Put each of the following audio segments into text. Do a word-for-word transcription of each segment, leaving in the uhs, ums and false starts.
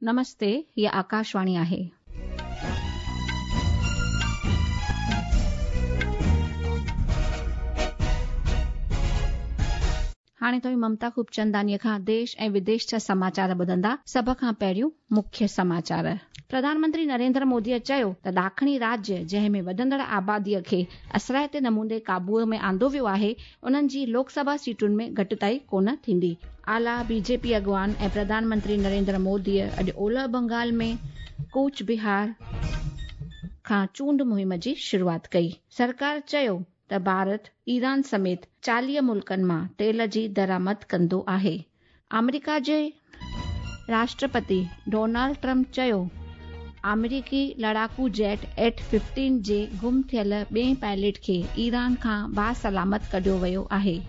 नमस्ते, हीअ आकाशवाणी आहे. हाणे तव्हीं ममता खूबचंदानीअ खां देश ऐं विदेश जा समाचार ॿुधंदा. सभ खां पहिरियों मुख्य समाचार. प्रधानमंत्री नरेंद्र मोदीअ चयो त ॾाखणी राज्य जंहिं में वधंदड़ आबादीअ खे असराइते नमूने क़ाबूअ में आंदो वियो आहे, उन्हनि जी लोकसभा सीटुनि में घटिताई कोन थींदी. आला बीजेपी अॻवान ऐं प्रधानमंत्री नरेंद्र मोदीअ अॼु ओलह बंगाल में कूच बिहार खां चूंड मुहिम जी शुरूआत कई. सरकार चयो त भारत ईरान समेत चालीह मुल्कनि मां तेल जी दरामद कंदो आहे. आमेरिका जे राष्ट्रपति डोनाल्ड ट्रंप चयो आमेरिकी लड़ाकू जेट एट फिफ्टीन जे गुम थियल ॿिए पायलट खे ईरान खां बासलामत कढियो वियो आहे.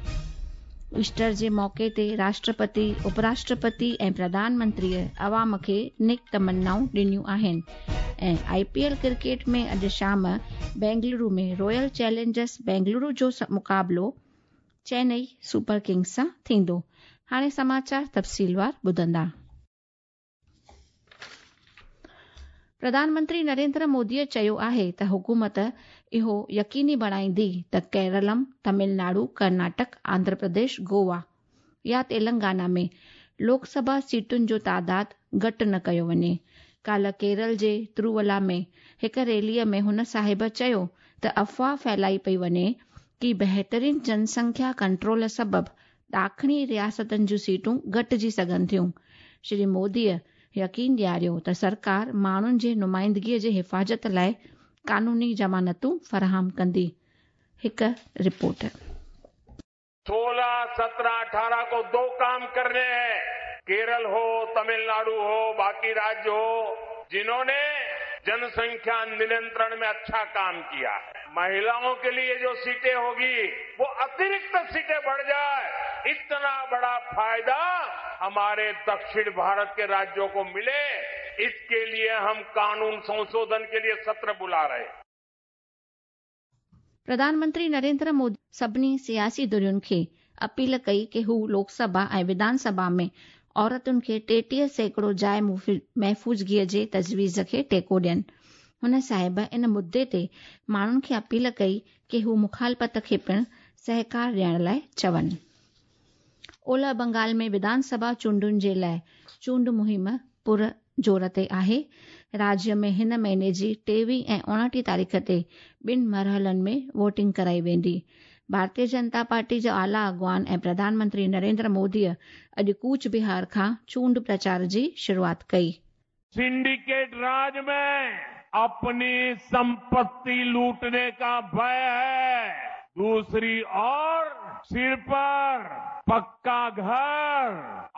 ईस्टर जे मौक़े ते राष्ट्रपति, उपराष्ट्रपति ऐं प्रधानमंत्रीअ अवाम खे नेक तमन्नाऊं ॾिनियूं आहिनि. ऐं I P L cricket में अॼु शाम बेंगलुरु में रॉयल चैलेंजर्स बेंगलुरु जो मुक़ाबिलो चेन्नई सुपर किंग्स सां थींदो. हाणे समाचार तफ़सीलवार ॿुधंदा. प्रधानमंत्री नरेंद्र मोदीअ चयो आहे त हुकूमत इहो यकीनी बणाईंदी त केरलम, तमिलनाडु, कर्नाटक, आंध्र प्रदेश, गोवा या तेलंगाना में लोकसभा सीटुनि जो तादाद घटि न कयो वञे. काल्ह केरल जे तिरुवला में हिकु रैलीअ में हुन साहिब चयो त अफ़वाह फैलाई पई वञे की बहितरीन जनसंख्या कंट्रोल सबबु ॾाखणी रियासतनि जूं सीटूं घटिजी सघनि थियूं. श्री मोदीअ यकीन ॾियारियो त सरकार माण्हुनि जे नुमाइंदगीअ जी हिफ़ाज़त लाइ कानूनी ज़मानतूं फराहम कंदी. हिकु रिपोर्ट. सोलह, सत्रह, अठारह को दो काम करने हैं. केरल हो, तमिलनाडु हो, बाकी राज्य हो, जिन्होंने जनसंख्या नियंत्रण में अच्छा काम किया है. महिलाओं के लिए जो सीटें होगी वो अतिरिक्त सीटें बढ़ जाए, इतना बड़ा फायदा हमारे दक्षिण भारत के राज्यों को मिले, इसके लिए हम कानून संशोधन के लिए सत्र बुला रहे हैं. प्रधानमंत्री नरेंद्र मोदी सभिनी सियासी धुरियुनि खे अपील कई की हू लोकसभा ऐं विधानसभा में औरतुनि खे टेटीह सैकड़ो जाइ महफ़ूज़गीअ जे तजवीज़ खे टेको ॾियनि. हुन साहिब इन मुद्दे ते माण्हुनि खे अपील कई की हू मुखालफ़त खे पिणु सहकार ॾियण लाइ चवनि. ओलह बंगाल में विधानसभा चूंडुनि जे लाइ चूंड मुहिम पुर जोर ते आहे. राज्य में हिन महीने जी टेवीह ऐं उणिटीह तारीख़ ते ॿिनि मरहलनि में वोटिंग कराई वेंदी. भारतीय जनता पार्टी जो आला अॻवान ऐं प्रधानमंत्री नरेंद्र मोदीअ अॼु कूच बिहार खां चूंड प्रचार जी शुरूआत कई. सिंडिकेट राज में अपनी संपत्ति लूटने का भय है, दूसरी ओर सिर पर पक्का घर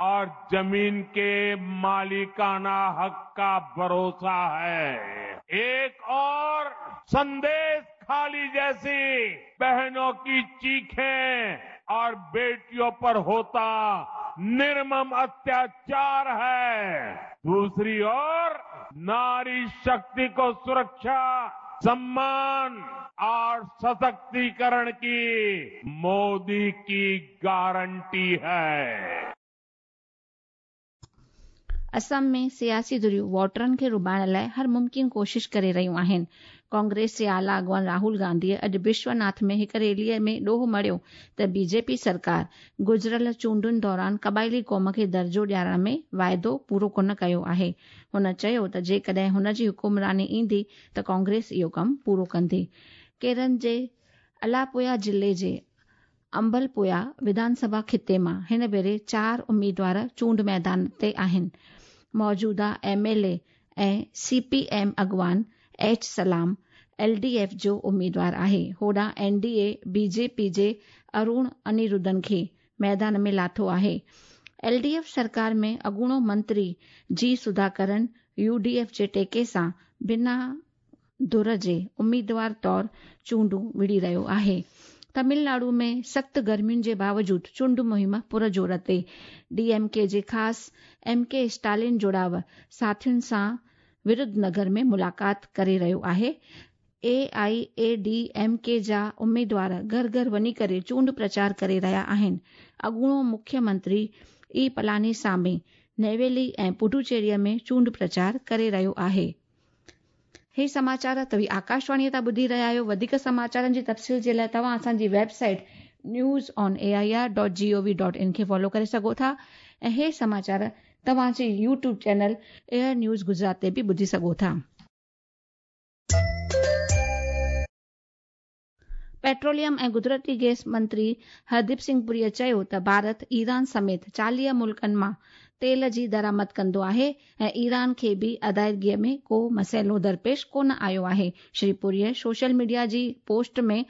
और जमीन के मालिकाना हक का भरोसा है. एक और संदेश खाली जैसी बहनों की चीखें और बेटियों पर होता निर्मम अत्याचार है, दूसरी ओर नारी शक्ति को सुरक्षा, सम्मान और सशक्तिकरण की मोदी की गारंटी है. असम में सियासी धुरियूं वोटरनि खे रुबाइण लाइ हर मुमकिन कोशिश करे रहियूं आहिनि. कांग्रेस जे आला अॻवान राहुल गांधीअ अॼु विश्वनाथ में हिकु रैलीअ में ॾोह मढ़ियो त बीजेपी सरकार गुज़िरियल चूंडुनि दौरान क़बाइली क़ौम खे दर्जो ॾियारण में वाइदो पूरो कोन कयो आहे. हुन चयो त जेकॾहिं हुन जी हुकुमरानी ईंदी त कांग्रेस इहो कमु पूरो कंदी. केरल जे अलापुया ज़िले जे अंबलपुया विधानसभा खिते मां हिन भेरे चारि उम्मीदवार चूंड मैदान ते आहिनि. मौजूदा एम एल ए ऐं सी पी एम अॻवान एच सलाम एल डी एफ जो उम्मीदवार आहे. होॾां N D A B J P जे अरुण अनिरुद्धन खे मैदान में लाथो आहे. एल डी एफ सरकार में अॻूणो मंत्री जी सुधाकरन यू डी एफ जे टेके सां बिना धुर जे उम्मीदवार तौर चूंडूं विड़ी रहियो आहे. तमिलनाडु में सख़्त गर्मियुनि जे बावजूद चूंड मुहिम पुर जोर ते. डी एम के जे ख़ासि एम के स्टालिन जुड़ाव साथियुनि सां विरुधनगर में मुलाक़ात करे रहियो आहे. A I A D M K जा उम्मीदवार घर घर वञी करे चूंड प्रचार करे रहिया आहिनि. अॻूणो मुख्यमंत्री ई पलानीसामी नेवेली ऐं पुडुचेरीअ में चूंड प्रचार करे रहियो आहे। हे समाचार तव्हीं आकाशवाणीअ तां ॿुधी रहिया आहियो। वधीक समाचारनि जी तफ़सील जे लाइ तव्हां असांजी website news on A I R dot G O V dot in खे फॉलो करे सघो था ऐं हे समाचार तव्हांजे YouTube channel AIR news Gujarat ते बि ॿुधी सघो था। पेट्रोलियम ऐं कुदरती गैस मंत्री हरदीप सिंह पुरीअ चयो त भारत ईरान समेत चालीह मुल्कनि मां तेल जी दरामद कंदो आहे ऐं ईरान खे बि अदायगीअ में को मसइलो दरपेश कोन आयो आहे। श्री पुरीअ सोशल मीडिया जी पोस्ट में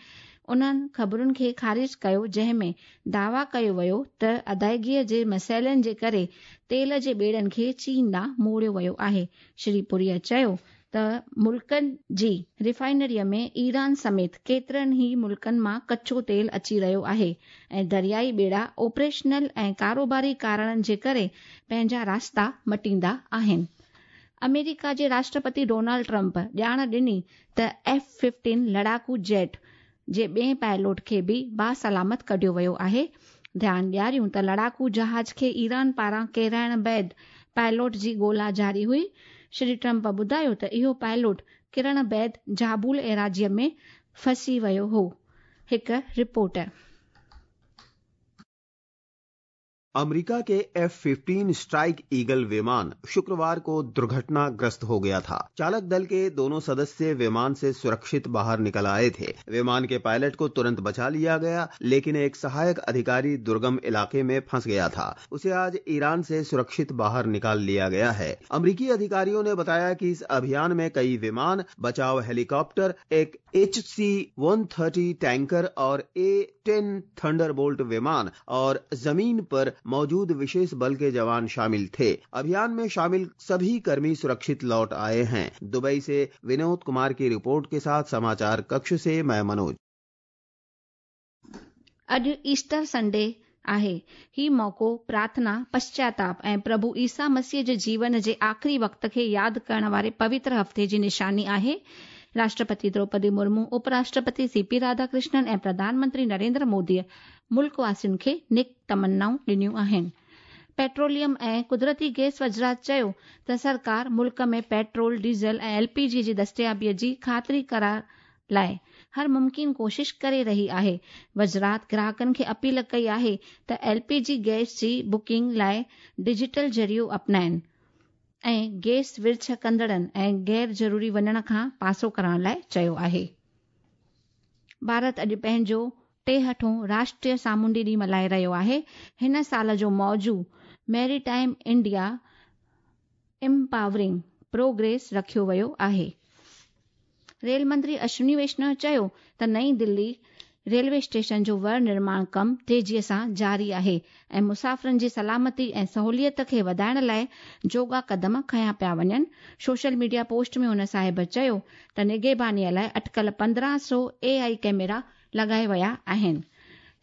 उन्हनि ख़बरुनि खे ख़ारिज कयो जंहिं में दावा कयो वियो त अदायगीअ जे मसइलनि जे करे तेल जे ॿेड़नि खे चीन ॾांहुं मोड़ियो वियो आहे। श्री पुरीअ चयो त मुल्कनि जी रिफाइनरीअ में ईरान समेत केतिरनि ई मुल्कनि मां कचो तेल अची रहियो आहे ऐं दरियाई ॿेड़ा ऑपरेशनल ऐं कारोबारी कारणनि जे करे पंहिंजा रास्ता मटींदा आहिनि। अमेरिका जे राष्ट्रपति डोनाल्ड ट्रंप ॼाण ॾिनी त एफ फिफ्टीन लड़ाकू जेट जे ॿिए पायलट खे बि बासलामत कढियो वियो आहे। ध्यानु ॾियारियूं त लड़ाकू जहाज़ खे ईरान पारां केराइण बाद पायलट जी ॻोल्हा जारी हुई। श्री ट्रंप ॿुधायो त इहो पायलट किरण बाद जाबुल एराज़ीअ में फंसी वियो हो। हिकु रिपोर्ट। अमेरिका के एफ फिफ्टीन स्ट्राइक ईगल विमान शुक्रवार को दुर्घटनाग्रस्त हो गया था। चालक दल के दोनों सदस्य विमान से सुरक्षित बाहर निकल आए थे। विमान के पायलट को तुरंत बचा लिया गया, लेकिन एक सहायक अधिकारी दुर्गम इलाके में फंस गया था। उसे आज ईरान से सुरक्षित बाहर निकाल लिया गया है। अमेरिकी अधिकारियों ने बताया कि इस अभियान में कई विमान, बचाव हेलीकॉप्टर, एक H C one thirty tanker और ए टेन थंडरबोल्ट विमान और जमीन पर मौजूद विशेष बल के जवान शामिल थे। अभियान में शामिल सभी कर्मी सुरक्षित लौट आए हैं। दुबई से विनोद कुमार की रिपोर्ट के साथ समाचार कक्ष से मैं मनोज। अॼु ईस्टर संडे आहे। ही मौक़ो प्रार्थना, पश्चाताप ऐं प्रभु ईसा मसीह जे जीवन जे आख़िरी वक़्त खे यादि करण वारे पवित्र हफ़्ते जी निशानी आहे। राष्ट्रपति द्रौपदी मुर्मू, उपराष्ट्रपति सीपी राधाकृष्णन ऐं प्रधानमंत्री नरेंद्र मोदीअ मुल्क वासियुनि खे नेक तमन्नाऊं ॾिनियूं आहिनि। पेट्रोलियम ऐं कुदरती गैस वज़ारत चयो त सरकार मुल्क में पेट्रोल, डीज़ल ऐं एल पी जी जी दस्तियाबीअ जी ख़ातिरी करार लाइ हर मुमकिन कोशिश करे रही आहे। वज़ारत ग्राहकनि खे अपील कई आहे त एल पी जी गैस जी बुकिंग लाइ डिजिटल ज़रियो अपनाइनि ऐं गैस विर्छ कंदड़नि ऐं गैर ज़रूरी वञण खां पासो करण लाइ चयो आहे। भारत अॼु पंहिंजो टेहठों राष्ट्रीय सामुंडी ॾींहुं मल्हाए रहियो आहे। हिन साल जो मौज़ू मैरीटाइम इंडिया एम्पावरिंग प्रोग्रेस रखियो वियो आहे। रेल मंत्री अश्विनी वैष्णव चयो त नई दिल्ली रेलवे स्टेशन जो वर निर्माण कम तेज़ीअ सां जारी आहे ऐं मुसाफ़िरनि जी सलामती ऐं सहूलियत खे वधाइण लाइ जोगा कदम खयां पिया वञनि। सोशल मीडिया पोस्ट में हुन साहिब चयो त निगहबानीअ लाइ अटकल पंद्रहं सौ ए I camera लॻाए विया आहिनि।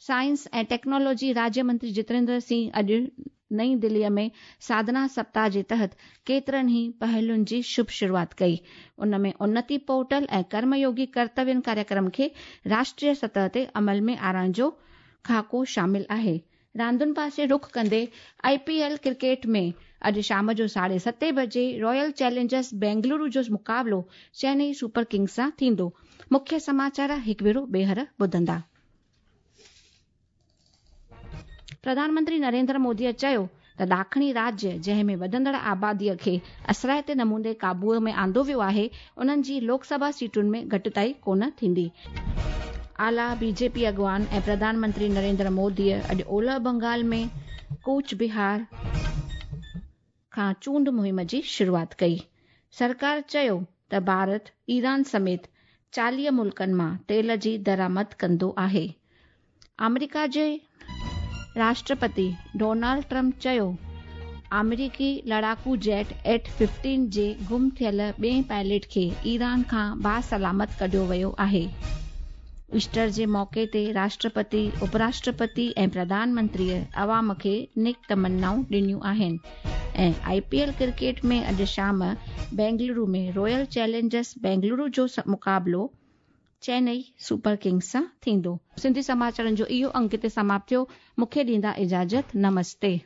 साइंस ऐं टेक्नोलॉजी राज्य मंत्री जितेंद्र सिंह अॼु नई दिल्लीअ में साधना सप्ताह जे तहत केतिरनि ई पहलुनि जी शुभ शुरूआत कई। उन में उन्नति पोर्टल ऐं कर्मयोगी कर्तव्यनि कार्यक्रम खे राष्ट्रीय सतह ते अमल में आणण जो खाको शामिल आहे। रांदुनि पासे रुख कंदे I P L cricket में अॼु शाम जो साढे सते बजे रॉयल चैलेंजर्स बेंगलुरु जो मुक़ाबिलो चेन्नई सुपर किंग्स सां थींदो। मुख्य समाचार हिकु भेरो ॿीहर ॿुधंदा। प्रधानमंत्री नरेंद्र मोदीअ चयो त ॾाखणी राज्य जंहिं में वधंदड़ आबादीअ खे असराइते नमूने क़ाबूअ में आंदो वियो आहे, उन्हनि जी लोकसभा सीटुनि में घटिताई कोन थींदी। आला बीजेपी अॻवान ऐं प्रधानमंत्री नरेंद्र मोदीअ अॼु ओलह बंगाल में कूच बिहार खां चूंड मुहिम जी शुरूआत कई। सरकार चयो त भारत ईरान समेत चालीह मुल्कनि मां तेल जी दरामद कंदो आहे। अमेरिका जे राष्ट्रपति डोनाल्ड ट्रंप चयो अमेरिकी लड़ाकू जेट एट फिफ्टीन जे गुम थियल ॿिए पायलट खे ईरान खां बासलामत कढियो वियो आहे। ईस्टर जे मौक़े ते राष्ट्रपति, उपराष्ट्रपति ऐं प्रधानमंत्रीअ अवाम खे नेक तमन्नाऊं ॾिनियूं आहिनि। ऐं I P L cricket में अॼु शाम बेंगलुरु में रॉयल चैलेंजर्स बेंगलुरु जो मुक़ाबिलो चेन्नई सुपर किंग्स सां थींदो। सिंधी समाचारनि जो इहो अंक हिते समाप्त थियो। मूंखे ॾींदा इजाज़त। नमस्ते।